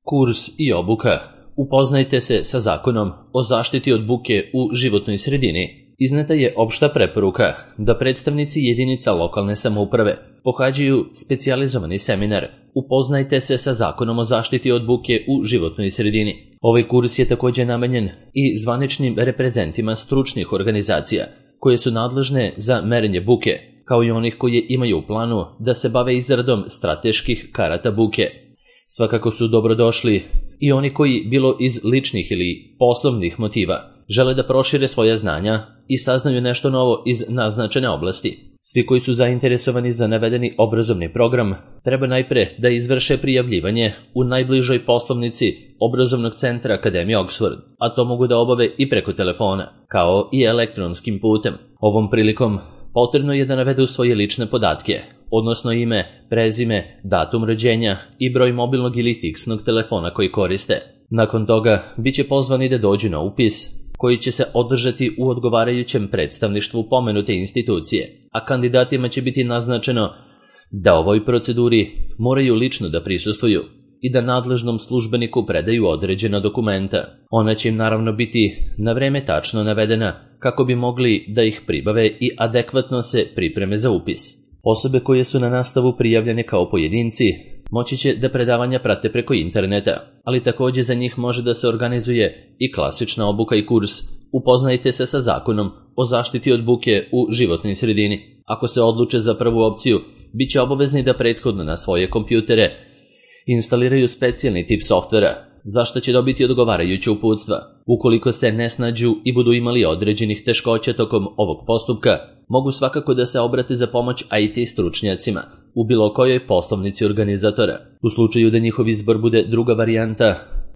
Kurs i obuka. Upoznajte se sa zakonom o zaštiti od buke u životnoj sredini. Izneta je opšta preporuka da predstavnici jedinica lokalne samouprave pohađaju specijalizovani seminar Upoznajte se sa zakonom o zaštiti od buke u životnoj sredini. Ovaj kurs je također namenjen i zvaničnim reprezentima stručnih organizacija koje su nadležne za merenje buke, kao i onih koji imaju u planu da se bave izradom strateških karata buke. Svakako su dobrodošli i oni koji, bilo iz ličnih ili poslovnih motiva, žele da prošire svoja znanja i saznaju nešto novo iz naznačene oblasti. Svi koji su zainteresovani za navedeni obrazovni program treba najpre da izvrše prijavljivanje u najbližoj poslovnici obrazovnog centra Akademije Oxford, a to mogu da obave i preko telefona, kao i elektronskim putem. Ovom prilikom potrebno je da navedu svoje lične podatke, odnosno ime, prezime, datum rođenja i broj mobilnog ili fiksnog telefona koji koriste. Nakon toga biće pozvani da dođu na upis, koji će se održati u odgovarajućem predstavništvu pomenute institucije, a kandidatima će biti naznačeno da ovoj proceduri moraju lično da prisustvuju i da nadležnom službeniku predaju određena dokumenta. Ona će im naravno biti na vreme tačno navedena kako bi mogli da ih pribave i adekvatno se pripreme za upis. Osobe koje su na nastavu prijavljene kao pojedinci moći će da predavanja prate preko interneta, ali također za njih može da se organizuje i klasična obuka i kurs Upoznajte se sa zakonom o zaštiti od buke u životnoj sredini. Ako se odluče za prvu opciju, bit će obavezni da prethodno na svoje kompjutere instaliraju specijalni tip softvera, za što će dobiti odgovarajuće uputstva. Ukoliko se ne snađu i budu imali određenih teškoća tokom ovog postupka, mogu svakako da se obrate za pomoć IT stručnjacima u bilo kojoj poslovnici organizatora. U slučaju da njihov izbor bude druga varijanta,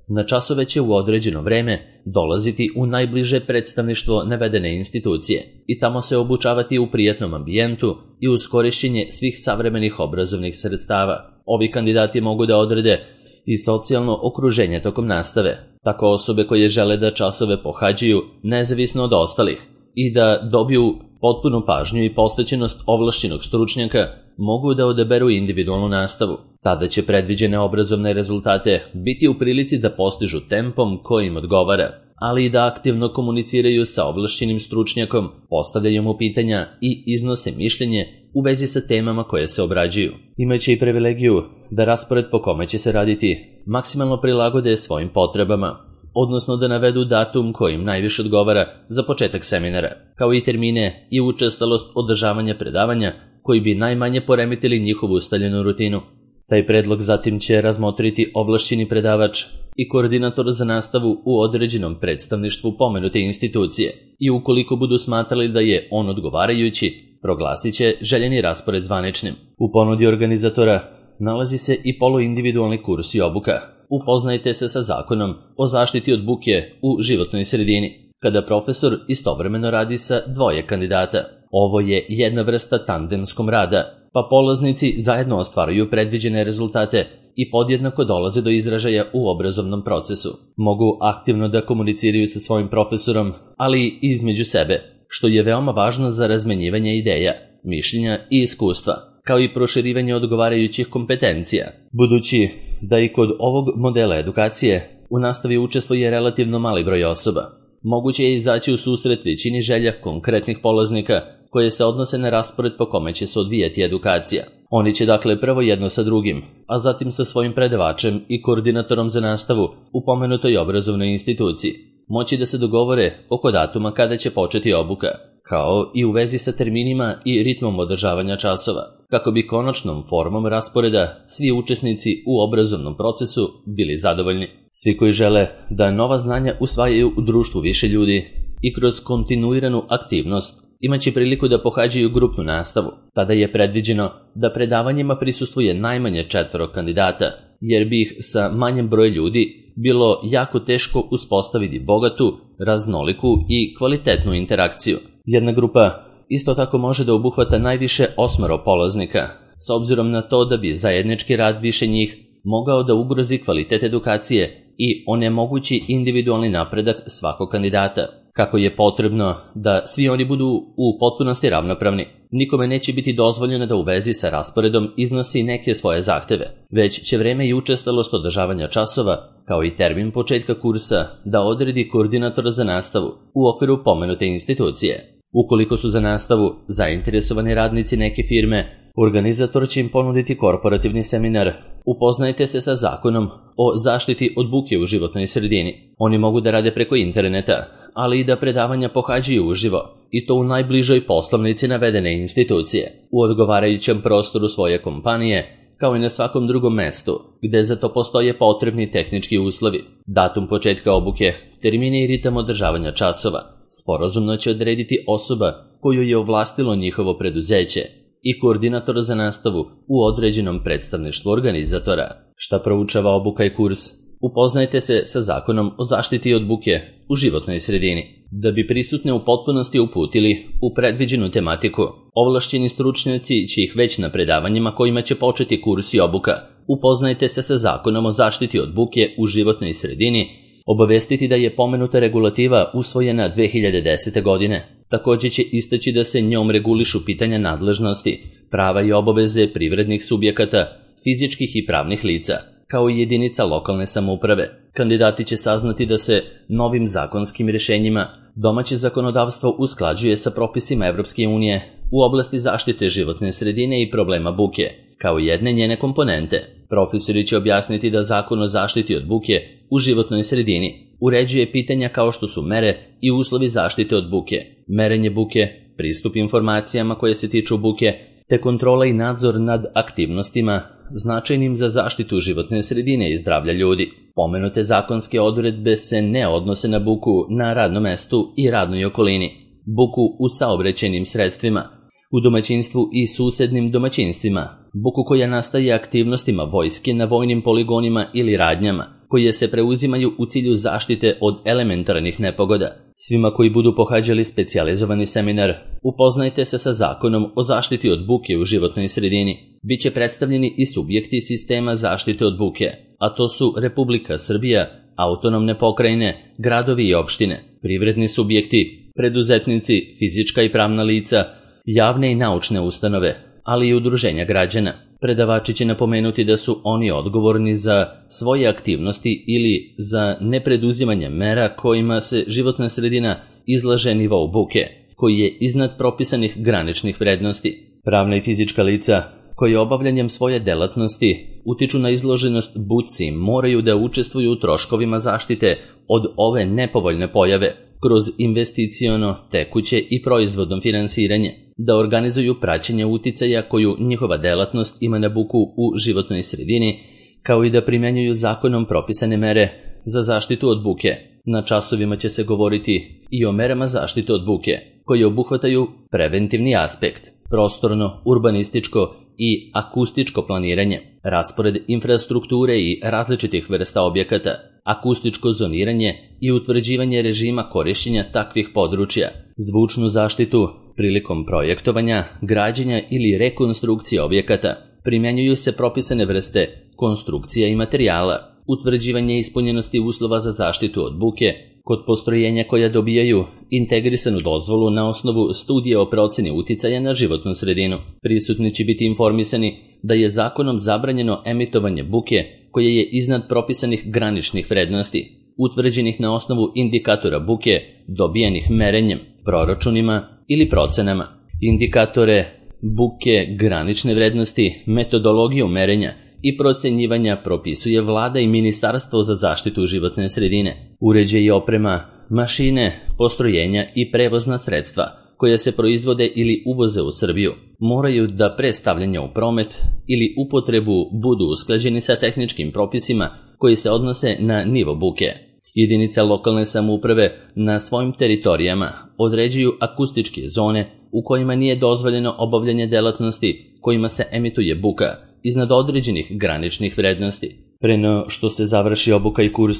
na časove će u određeno vreme dolaziti u najbliže predstavništvo navedene institucije i tamo se obučavati u prijatnom ambijentu i uz korišćenje svih savremenih obrazovnih sredstava. Ovi kandidati mogu da odrede i socijalno okruženje tokom nastave, tako osobe koje žele da časove pohađaju nezavisno od ostalih i da dobiju potpunu pažnju i posvećenost ovlašćenog stručnjaka mogu da odaberu individualnu nastavu. Tada će predviđene obrazovne rezultate biti u prilici da postižu tempom koji im odgovara, ali i da aktivno komuniciraju sa ovlašćenim stručnjakom, postavljaju mu pitanja i iznose mišljenje u vezi sa temama koje se obrađuju. Imaće i privilegiju da raspored po kome će se raditi maksimalno prilagode svojim potrebama, odnosno da navedu datum kojim najviše odgovara za početak seminara, kao i termine i učestalost održavanja predavanja koji bi najmanje poremetili njihovu ustaljenu rutinu. Taj predlog zatim će razmotriti ovlašćeni predavač i koordinator za nastavu u određenom predstavništvu pomenute institucije i ukoliko budu smatrali da je on odgovarajući, proglasit će željeni raspored zvaničnim. U ponudi organizatora nalazi se i poluindividualni kurs i obuka Upoznajte se sa zakonom o zaštiti od buke u životnoj sredini, kada profesor istovremeno radi sa dvoje kandidata. Ovo je jedna vrsta tandemskom rada, pa polaznici zajedno ostvaruju predviđene rezultate i podjednako dolaze do izražaja u obrazovnom procesu. Mogu aktivno da komuniciraju sa svojim profesorom, ali i između sebe, što je veoma važno za razmenjivanje ideja, mišljenja i iskustva, kao i proširivanje odgovarajućih kompetencija. Budući da i kod ovog modela edukacije u nastavi učestvuje relativno mali broj osoba, moguće je izaći u susret većini želja konkretnih polaznika koje se odnose na raspored po kome će se odvijati edukacija. Oni će dakle prvo jedno sa drugim, a zatim sa svojim predavačem i koordinatorom za nastavu u pomenutoj obrazovnoj instituciji moći da se dogovore oko datuma kada će početi obuka, kao i u vezi sa terminima i ritmom održavanja časova, kako bi konačnom formom rasporeda svi učesnici u obrazovnom procesu bili zadovoljni. Svi koji žele da nova znanja usvajaju u društvu više ljudi i kroz kontinuiranu aktivnost imaće priliku da pohađaju grupnu nastavu. Tada je predviđeno da predavanjima prisustvuje najmanje 4 kandidata, jer bi ih sa manjem brojem ljudi bilo jako teško uspostaviti bogatu, raznoliku i kvalitetnu interakciju. Jedna grupa isto tako može da obuhvata najviše 8 polaznika, s obzirom na to da bi zajednički rad više njih mogao da ugrozi kvalitet edukacije i onemogući individualni napredak svakog kandidata. kako je potrebno da svi oni budu u potpunosti ravnopravni. Nikome neće biti dozvoljeno da u vezi sa rasporedom iznosi neke svoje zahteve, već će vreme i učestalost održavanja časova, kao i termin početka kursa, da odredi koordinator za nastavu u okviru pomenute institucije. Ukoliko su za nastavu zainteresovani radnici neke firme, organizator će im ponuditi korporativni seminar. Upoznajte se sa zakonom o zaštiti od buke u životnoj sredini. Oni mogu da rade preko interneta, ali i da predavanja pohađaju uživo, i to u najbližoj poslovnici navedene institucije, u odgovarajućem prostoru svoje kompanije, kao i na svakom drugom mestu, gde za to postoje potrebni tehnički uslovi. Datum početka obuke, termine i ritam održavanja časova sporazumno će odrediti osoba koju je ovlastilo njihovo preduzeće i koordinator za nastavu u određenom predstavništvu organizatora. Šta proučava obuka i kurs? Upoznajte se sa zakonom o zaštiti od buke u životnoj sredini. Da bi prisutne u potpunosti uputili u predviđenu tematiku, ovlašćeni stručnjaci će ih već na predavanjima kojima će početi kurs i obuka. Upoznajte se sa zakonom o zaštiti od buke u životnoj sredini, obavestiti da je pomenuta regulativa usvojena 2010. godine. Također će istaći da se njom regulišu pitanja nadležnosti, prava i obaveze privrednih subjekata, fizičkih i pravnih lica, kao i jedinica lokalne samouprave. Kandidati će saznati da se novim zakonskim rješenjima domaće zakonodavstvo usklađuje sa propisima Evropske unije u oblasti zaštite životne sredine i problema buke, kao jedne njene komponente. Profesori će objasniti da Zakon o zaštiti od buke u životnoj sredini uređuje pitanja kao što su mere i uslovi zaštite od buke, merenje buke, pristup informacijama koje se tiču buke, te kontrola i nadzor nad aktivnostima značajnim za zaštitu životne sredine i zdravlja ljudi. Pomenute zakonske odredbe se ne odnose na buku na radnom mestu i radnoj okolini, buku u saobraćajnim sredstvima, u domaćinstvu i susednim domaćinstvima, buku koja nastaje aktivnostima vojske na vojnim poligonima ili radnjama, koje se preuzimaju u cilju zaštite od elementarnih nepogoda. Svima koji budu pohađali specijalizovani seminar, upoznajte se sa zakonom o zaštiti od buke u životnoj sredini. Biće predstavljeni i subjekti sistema zaštite od buke, a to su Republika Srbija, autonomne pokrajine, gradovi i opštine, privredni subjekti, preduzetnici, fizička i pravna lica, javne i naučne ustanove, ali i udruženja građana. Predavači će napomenuti da su oni odgovorni za svoje aktivnosti ili za nepreduzimanje mera kojima se životna sredina izlaže nivou buke, koji je iznad propisanih graničnih vrednosti. Pravna i fizička lica koji obavljanjem svoje delatnosti utiču na izloženost buci moraju da učestvuju u troškovima zaštite od ove nepovoljne pojave kroz investiciono, tekuće i proizvodno finansiranje, da organizuju praćenje uticaja koju njihova delatnost ima na buku u životnoj sredini, kao i da primjenjuju zakonom propisane mere za zaštitu od buke. Na časovima će se govoriti i o merama zaštite od buke, koje obuhvataju preventivni aspekt, prostorno, urbanističko i akustičko planiranje, raspored infrastrukture i različitih vrsta objekata, akustičko zoniranje i utvrđivanje režima korišćenja takvih područja, zvučnu zaštitu prilikom projektovanja, građenja ili rekonstrukcije objekata. Primjenjuju se propisane vrste konstrukcija i materijala, utvrđivanje ispunjenosti uslova za zaštitu od buke kod postrojenja koja dobijaju integrisanu dozvolu na osnovu studije o proceni uticaja na životnu sredinu. Prisutni će biti informisani da je zakonom zabranjeno emitovanje buke koje je iznad propisanih graničnih vrednosti, utvrđenih na osnovu indikatora buke dobijenih merenjem, proračunima ili procenama. Indikatore buke, granične vrednosti, metodologiju merenja i procenjivanja propisuje Vlada i Ministarstvo za zaštitu životne sredine. Uređaj i oprema, mašine, postrojenja i prevozna sredstva koja se proizvode ili uvoze u Srbiju moraju da pre stavljanja u promet ili upotrebu budu usklađeni sa tehničkim propisima koji se odnose na nivo buke. Jedinice lokalne samouprave na svojim teritorijama određuju akustičke zone u kojima nije dozvoljeno obavljanje delatnosti kojima se emituje buka iznad određenih graničnih vrednosti. Pre no što se završi obuka i kurs,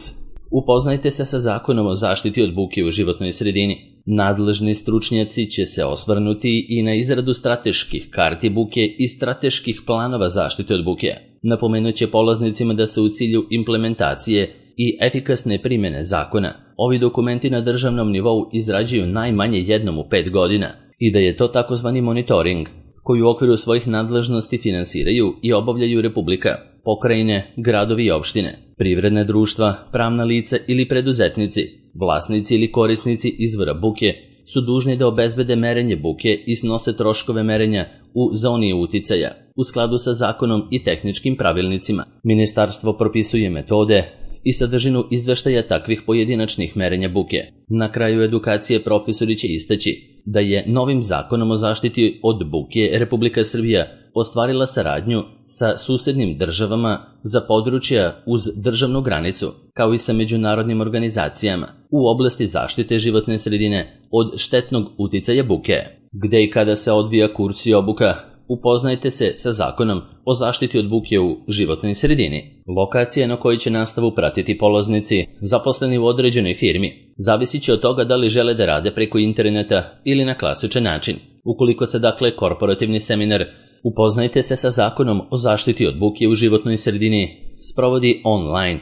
upoznajte se sa zakonom o zaštiti od buke u životnoj sredini. Nadležni stručnjaci će se osvrnuti i na izradu strateških karti buke i strateških planova zaštite od buke. Napomenut će polaznicima da se u cilju implementacije i efikasne primjene zakona ovi dokumenti na državnom nivou izrađuju najmanje jednom u 5 godina i da je to takozvani monitoring, koji u okviru svojih nadležnosti finansiraju i obavljaju Republika, pokrajine, gradovi i opštine, privredne društva, pravna lica ili preduzetnici, vlasnici ili korisnici izvora buke su dužni da obezbede merenje buke i snose troškove merenja u zoni uticaja, u skladu sa zakonom i tehničkim pravilnicima. Ministarstvo propisuje metode i sadržinu izveštaja takvih pojedinačnih merenja buke. Na kraju edukacije profesori će istaći da je novim zakonom o zaštiti od buke Republika Srbija ostvarila saradnju sa susednim državama za područja uz državnu granicu, kao i sa međunarodnim organizacijama u oblasti zaštite životne sredine od štetnog uticaja buke. Gde i kada se odvija kurs i obuka, upoznajte se sa zakonom o zaštiti od buke u životnoj sredini. Lokacija na kojoj će nastavu pratiti polaznici, zaposleni u određenoj firmi, zavisit će od toga da li žele da rade preko interneta ili na klasičan način. Ukoliko se dakle korporativni seminar upoznajte se sa zakonom o zaštiti od buke u životnoj sredini sprovodi online,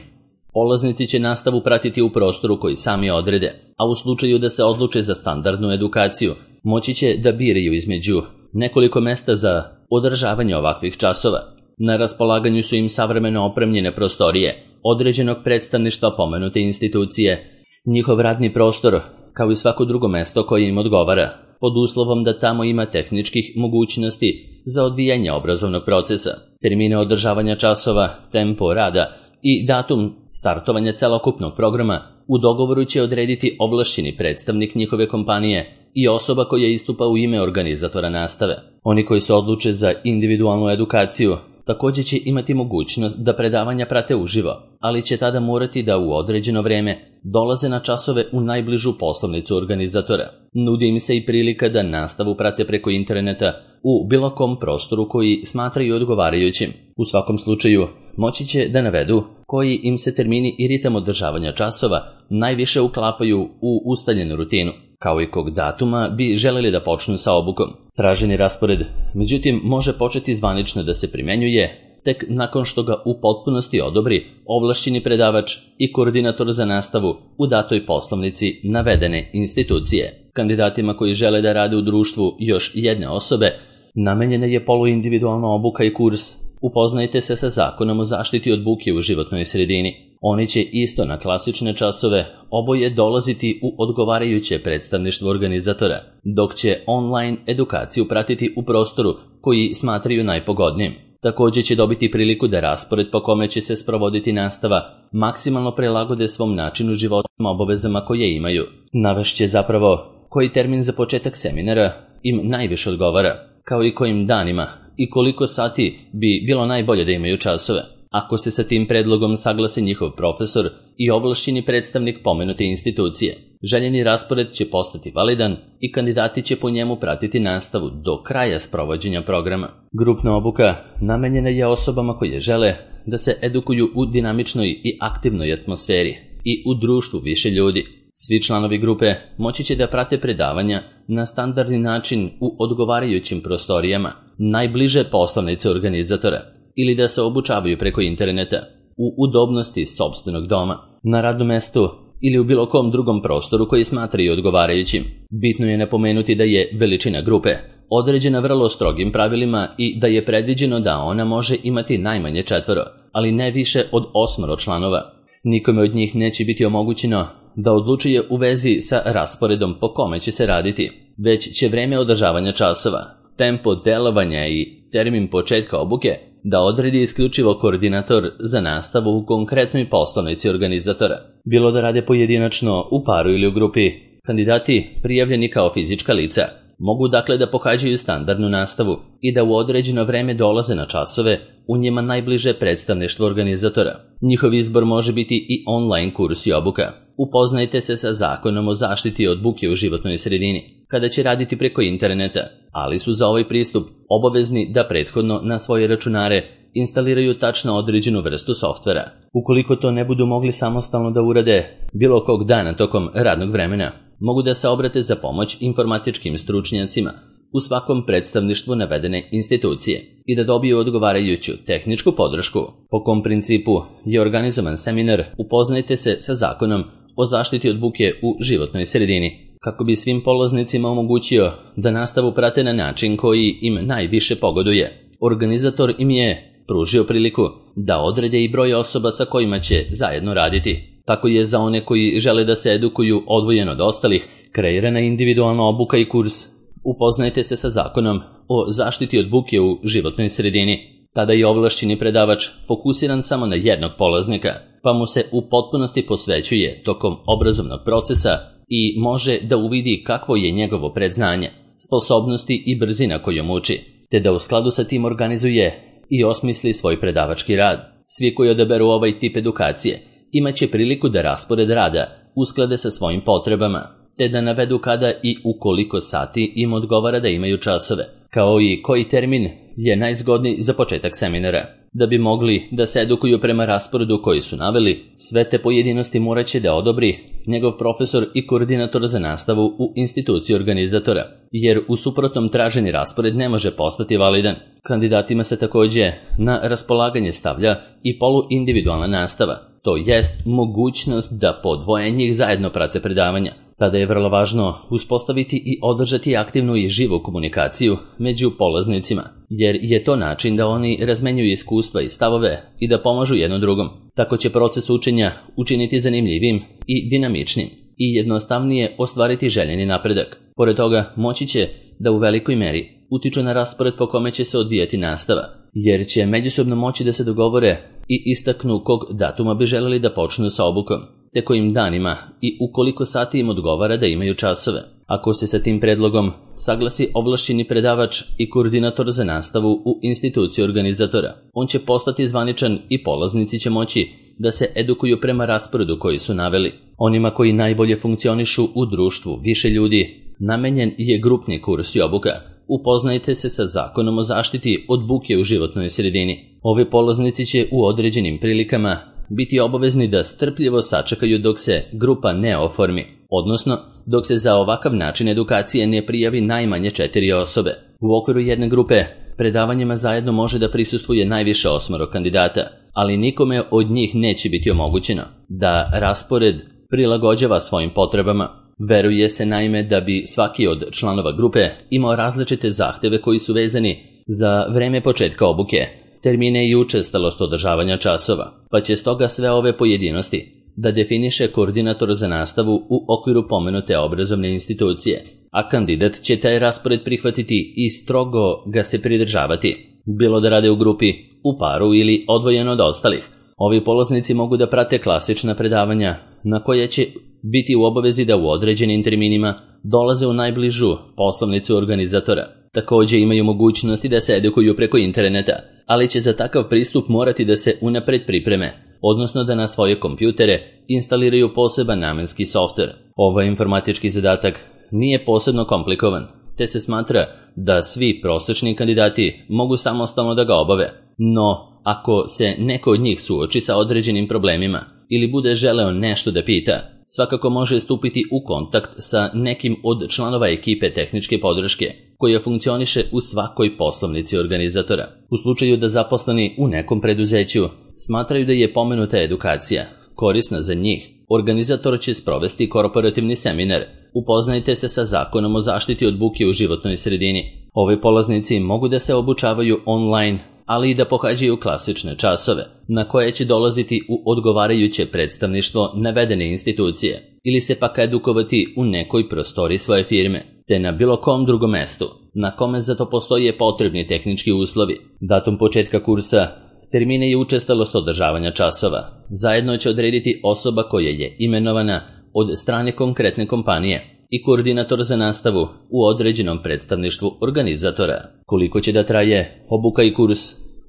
polaznici će nastavu pratiti u prostoru koji sami odrede, a u slučaju da se odluče za standardnu edukaciju, moći će da biraju između nekoliko mesta za održavanje ovakvih časova. Na raspolaganju su im savremeno opremljene prostorije određenog predstavništva pomenute institucije, njihov radni prostor, kao i svako drugo mesto koje im odgovara, pod uslovom da tamo ima tehničkih mogućnosti za odvijanje obrazovnog procesa. Termine održavanja časova, tempo rada i datum startovanja celokupnog programa u dogovoru će odrediti ovlašćeni predstavnik njihove kompanije i osoba koja istupa u ime organizatora nastave. Oni koji se odluče za individualnu edukaciju također će imati mogućnost da predavanja prate uživo, ali će tada morati da u određeno vreme dolaze na časove u najbližu poslovnicu organizatora. Nudi im se i prilika da nastavu prate preko interneta u bilo kom prostoru koji smatraju odgovarajućim. U svakom slučaju, moći će da navedu koji im se termini i ritam održavanja časova najviše uklapaju u ustaljenu rutinu, kao i kog datuma bi želeli da počnu sa obukom. Traženi raspored, međutim, može početi zvanično da se primenjuje tek nakon što ga u potpunosti odobri ovlašćeni predavač i koordinator za nastavu u datoj poslovnici navedene institucije. Kandidatima koji žele da rade u društvu još jedne osobe namenjena je poluindividualna obuka i kurs Upoznajte se sa zakonom o zaštiti od buke u životnoj sredini. Oni će isto na klasične časove oboje dolaziti u odgovarajuće predstavništvo organizatora, dok će online edukaciju pratiti u prostoru koji smatraju najpogodnijim. Također će dobiti priliku da raspored po kome će se sprovoditi nastava maksimalno prilagode svom načinu života obavezama koje imaju. Navešće zapravo koji termin za početak seminara im najviše odgovara, kao i kojim danima i koliko sati bi bilo najbolje da imaju časove. Ako se sa tim predlogom saglase njihov profesor i ovlašćeni predstavnik pomenute institucije, željeni raspored će postati validan i kandidati će po njemu pratiti nastavu do kraja sprovođenja programa. Grupna obuka namenjena je osobama koje žele da se edukuju u dinamičnoj i aktivnoj atmosferi i u društvu više ljudi. Svi članovi grupe moći će da prate predavanja na standardni način u odgovarajućim prostorijama, najbliže poslovnice organizatora, ili da se obučavaju preko interneta, u udobnosti sopstvenog doma, na radnom mestu ili u bilo kom drugom prostoru koji smatraju odgovarajućim. Bitno je napomenuti da je veličina grupe određena vrlo strogim pravilima i da je predviđeno da ona može imati najmanje 4, ali ne više od 8 članova. Nikome od njih neće biti omogućeno da odlučuje u vezi sa rasporedom po kome će se raditi, već će vreme održavanja časova, tempo delovanja i termin početka obuke da odredi isključivo koordinator za nastavu u konkretnoj poslovnici organizatora. Bilo da rade pojedinačno, u paru ili u grupi, kandidati prijavljeni kao fizička lica mogu dakle da pohađaju standardnu nastavu i da u određeno vreme dolaze na časove u njima najbliže predstavništvo organizatora. Njihov izbor može biti i online kurs i obuka. Upoznajte se sa zakonom o zaštiti od buke u životnoj sredini, kada će raditi preko interneta, ali su za ovaj pristup obavezni da prethodno na svoje računare instaliraju tačno određenu vrstu softvera. Ukoliko to ne budu mogli samostalno da urade bilo kog dana tokom radnog vremena, mogu da se obrate za pomoć informatičkim stručnjacima u svakom predstavništvu navedene institucije i da dobiju odgovarajuću tehničku podršku. Po kom principu je organizovan seminar Upoznajte se sa zakonom o zaštiti od buke u životnoj sredini, kako bi svim polaznicima omogućio da nastavu prate na način koji im najviše pogoduje. Organizator im je pružio priliku da odrede i broj osoba sa kojima će zajedno raditi. Tako je za one koji žele da se edukuju odvojeno od ostalih kreirana individualna obuka i kurs Upoznajte se sa zakonom o zaštiti od buke u životnoj sredini. Tada je ovlašćeni predavač fokusiran samo na jednog polaznika, pa mu se u potpunosti posvećuje tokom obrazovnog procesa i može da uvidi kakvo je njegovo predznanje, sposobnosti i brzina kojom uči, te da u skladu sa tim organizuje i osmisli svoj predavački rad. Svi koji odaberu ovaj tip edukacije imaće priliku da raspored rada usklade sa svojim potrebama, te da navedu kada i u koliko sati im odgovara da imaju časove, kao i koji termin je najzgodniji za početak seminara. Da bi mogli da se edukuju prema rasporedu koji su naveli, sve te pojedinosti morat će da odobri njegov profesor i koordinator za nastavu u instituciji organizatora, jer u suprotnom traženi raspored ne može postati validan. Kandidatima se takođe na raspolaganje stavlja i poluindividualna nastava, to jest mogućnost da po dvoje njih zajedno prate predavanja. Tada je vrlo važno uspostaviti i održati aktivnu i živu komunikaciju među polaznicima, jer je to način da oni razmenjuju iskustva i stavove i da pomažu jedno drugom. Tako će proces učenja učiniti zanimljivim i dinamičnim i jednostavnije ostvariti željeni napredak. Pored toga, moći će da u velikoj meri utiču na raspored po kome će se odvijati nastava, jer će međusobno moći da se dogovore i istaknu kog datuma bi želeli da počnu sa obukom, te kojim danima i u koliko sati im odgovara da imaju časove. Ako se sa tim predlogom saglasi ovlašćeni predavač i koordinator za nastavu u instituciji organizatora, on će postati zvaničan i polaznici će moći da se edukuju prema rasporedu koji su naveli. Onima koji najbolje funkcionišu u društvu više ljudi, namenjen je grupni kurs i obuka. Upoznajte se sa zakonom o zaštiti od buke u životnoj sredini. Ovi polaznici će u određenim prilikama biti obavezni da strpljivo sačekaju dok se grupa ne oformi, odnosno dok se za ovakav način edukacije ne prijavi najmanje 4 osobe. U okviru jedne grupe predavanjima zajedno može da prisustvuje najviše 8 kandidata, ali nikome od njih neće biti omogućeno da raspored prilagođava svojim potrebama. Veruje se naime da bi svaki od članova grupe imao različite zahteve koji su vezani za vreme početka obuke, termine i učestalost održavanja časova, pa će stoga sve ove pojedinosti da definiše koordinator za nastavu u okviru pomenute obrazovne institucije, a kandidat će taj raspored prihvatiti i strogo ga se pridržavati, bilo da rade u grupi, u paru ili odvojeno od ostalih. Ovi polaznici mogu da prate klasična predavanja na koje će biti u obavezi da u određenim terminima dolaze u najbližu poslovnicu organizatora. Takođe imaju mogućnosti da se edukuju preko interneta, ali će za takav pristup morati da se unapred pripreme, odnosno da na svoje kompjutere instaliraju poseban namenski softver. Ovaj informatički zadatak nije posebno komplikovan, te se smatra da svi prosečni kandidati mogu samostalno da ga obave. No, ako se neko od njih suoči sa određenim problemima ili bude želeo nešto da pita, svakako može stupiti u kontakt sa nekim od članova ekipe tehničke podrške koja funkcioniše u svakoj poslovnici organizatora. U slučaju da zaposleni u nekom preduzeću smatraju da je pomenuta edukacija korisna za njih, organizator će sprovesti korporativni seminar. Upoznajte se sa zakonom o zaštiti od buke u životnoj sredini. Ovi polaznici mogu da se obučavaju online, ali i da pohađaju klasične časove, na koje će dolaziti u odgovarajuće predstavništvo navedene institucije, ili se pak edukovati u nekoj prostoriji svoje firme, te na bilo kom drugom mestu, na kome za to postoje potrebni tehnički uslovi. Datum početka kursa, termine i učestalost održavanja časova zajedno će odrediti osoba koja je imenovana od strane konkretne kompanije i koordinator za nastavu u određenom predstavništvu organizatora. Koliko će da traje obuka i kurs?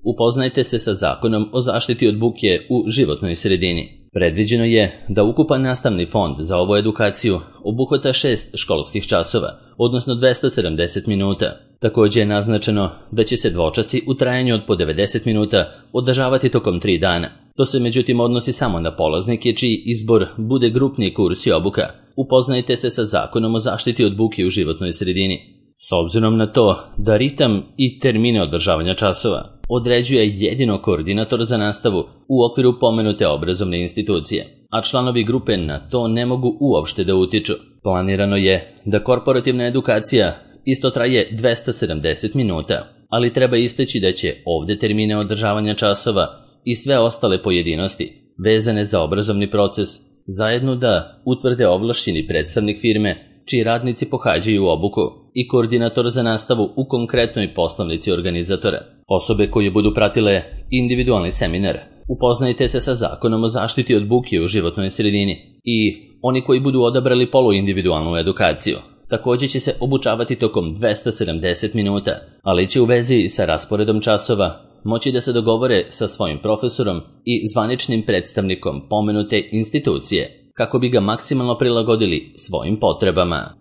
Upoznajte se sa zakonom o zaštiti od buke u životnoj sredini. Predviđeno je da ukupan nastavni fond za ovu edukaciju obuhvata 6 školskih časova, odnosno 270 minuta. Takođe je naznačeno da će se dvočasi u trajanju od po 90 minuta održavati tokom 3 dana. To se međutim odnosi samo na polaznike čiji izbor bude grupni kurs i obuka. Upoznajte se sa zakonom o zaštiti od buke u životnoj sredini. S obzirom na to da ritam i termine održavanja časova određuje jedino koordinator za nastavu u okviru pomenute obrazovne institucije, a članovi grupe na to ne mogu uopšte da utiču. Planirano je da korporativna edukacija isto traje 270 minuta, ali treba istaći da će ovde termine održavanja časova i sve ostale pojedinosti vezane za obrazovni proces zajedno da utvrde ovlašćeni predstavnik firme čiji radnici pohađaju obuku i koordinator za nastavu u konkretnoj poslovnici organizatora. Osobe koje budu pratile individualni seminar, upoznajte se sa Zakonom o zaštiti od buke u životnoj sredini i oni koji budu odabrali poluindividualnu edukaciju. Također će se obučavati tokom 270 minuta, ali će u vezi sa rasporedom časova moći da se dogovore sa svojim profesorom i zvaničnim predstavnikom pomenute institucije kako bi ga maksimalno prilagodili svojim potrebama.